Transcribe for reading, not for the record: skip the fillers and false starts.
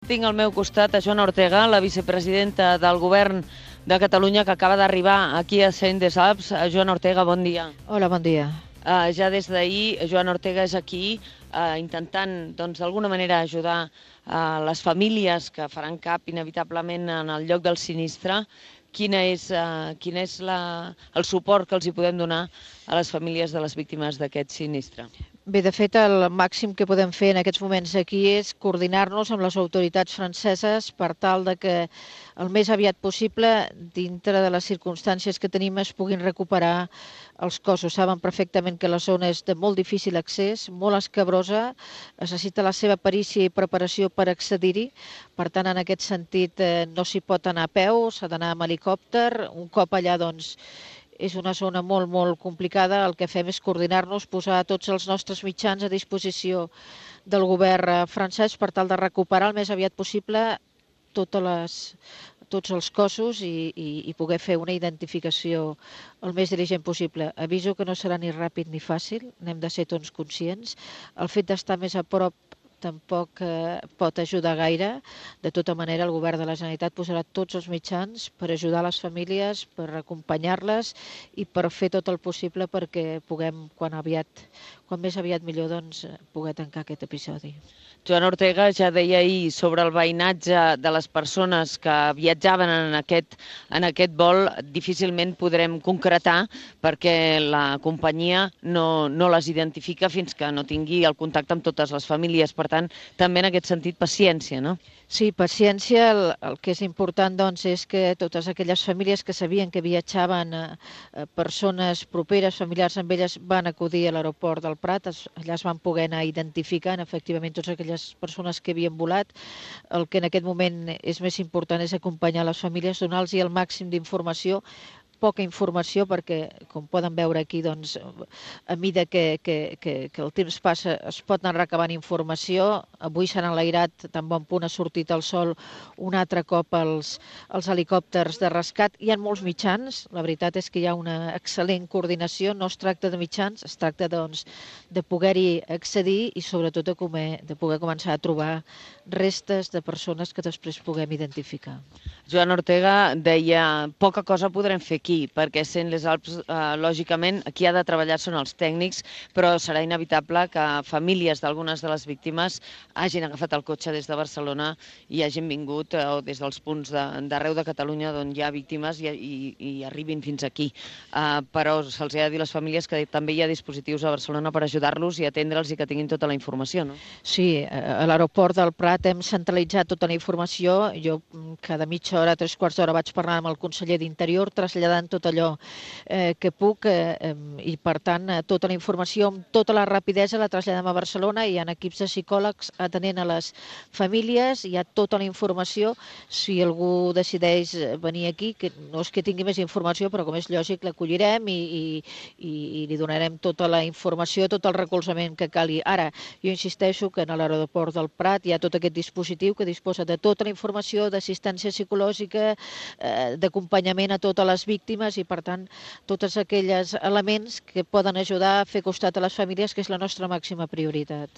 Tinc al meu costat a Joana Ortega, la vicepresidenta del Govern de Catalunya, que acaba d'arribar aquí a Cent des Alps. Joana Ortega, bon dia. Hola, bon dia. Ja des d'ahir, Joana Ortega és aquí intentant, d'alguna manera, ajudar les famílies que faran cap, inevitablement, en el lloc del sinistre. Quin és el suport que els hi podem donar a les famílies de les víctimes d'aquest sinistre? Bé, de fet, el màxim que podem fer en aquests moments aquí és coordinar-nos amb les autoritats franceses per tal de que el més aviat possible, dintre de les circumstàncies que tenim, es puguin recuperar els cossos. Saben perfectament que la zona és de molt difícil accés, molt escabrosa, es necessita la seva perícia i preparació per accedir-hi. Per tant, en aquest sentit, no s'hi pot anar a peu, s'ha d'anar amb helicòpter. Un cop allà, doncs, és una zona molt, molt complicada. El que fem és coordinar-nos, posar tots els nostres mitjans a disposició del govern francès per tal de recuperar el més aviat possible tots els cossos i poder fer una identificació el més diligent possible. Aviso que no serà ni ràpid ni fàcil, n'hem de ser tots conscients. El fet d'estar més a prop tampoc pot ajudar gaire. De tota manera, el govern de la Generalitat posarà tots els mitjans per ajudar les famílies, per acompanyar-les i per fer tot el possible perquè puguem, quan més aviat millor, doncs, poder tancar aquest episodi. Joana Ortega ja deia ahir sobre el veïnatge de les persones que viatjaven en aquest vol. Difícilment podrem concretar perquè la companyia no les identifica fins que no tingui el contacte amb totes les famílies. Per tant, també en aquest sentit, paciència, no? Sí, paciència. El que és important, doncs, és que totes aquelles famílies que sabien que viatjaven persones properes, familiars amb elles, van acudir a l'aeroport del Prat. Allà es van poder anar identificant efectivament totes aquelles persones que havien volat. El que en aquest moment és més important és acompanyar les famílies, donar-los el màxim d'informació, poca informació, perquè, com poden veure aquí, doncs, a mesura que el temps passa es pot anar recabant informació. Avui s'han enlairat, tan bon punt ha sortit el sol, un altre cop els helicòpters de rescat. Hi ha molts mitjans, la veritat és que hi ha una excel·lent coordinació. No es tracta de mitjans, es tracta, doncs, de poder-hi accedir i sobretot de poder començar a trobar restes de persones que després puguem identificar. Joana Ortega deia, poca cosa podrem fer aquí, perquè Cent les Alps, lògicament, qui ha de treballar són els tècnics, però serà inevitable que famílies d'algunes de les víctimes hagin agafat el cotxe des de Barcelona i hagin vingut, o des dels punts d'arreu de Catalunya d'on hi ha víctimes i arribin fins aquí. Però se'ls ha de dir a les famílies que també hi ha dispositius a Barcelona per ajudar-los i atendre'ls i que tinguin tota la informació, no? Sí, a l'aeroport del Prat hem centralitzat tota la informació. Jo cada mitja hora, 3/4 d'hora, vaig parlar amb el conseller d'Interior, traslladant tot allò que puc i, per tant, tota la informació amb tota la rapidesa la traslladem a Barcelona. Hi ha equips de psicòlegs atenent a les famílies, hi ha tota la informació. Si algú decideix venir aquí, que no és que tingui més informació, però com és lògic l'acollirem i li donarem tota la informació, tot el recolzament que calgui. Ara, jo insisteixo que a l'aeroport del Prat hi ha tot aquest dispositiu que disposa de tota la informació, d'assistència psicològica, d'acompanyament a totes les víctimes i, per tant, tots aquells elements que poden ajudar a fer costat a les famílies, que és la nostra màxima prioritat.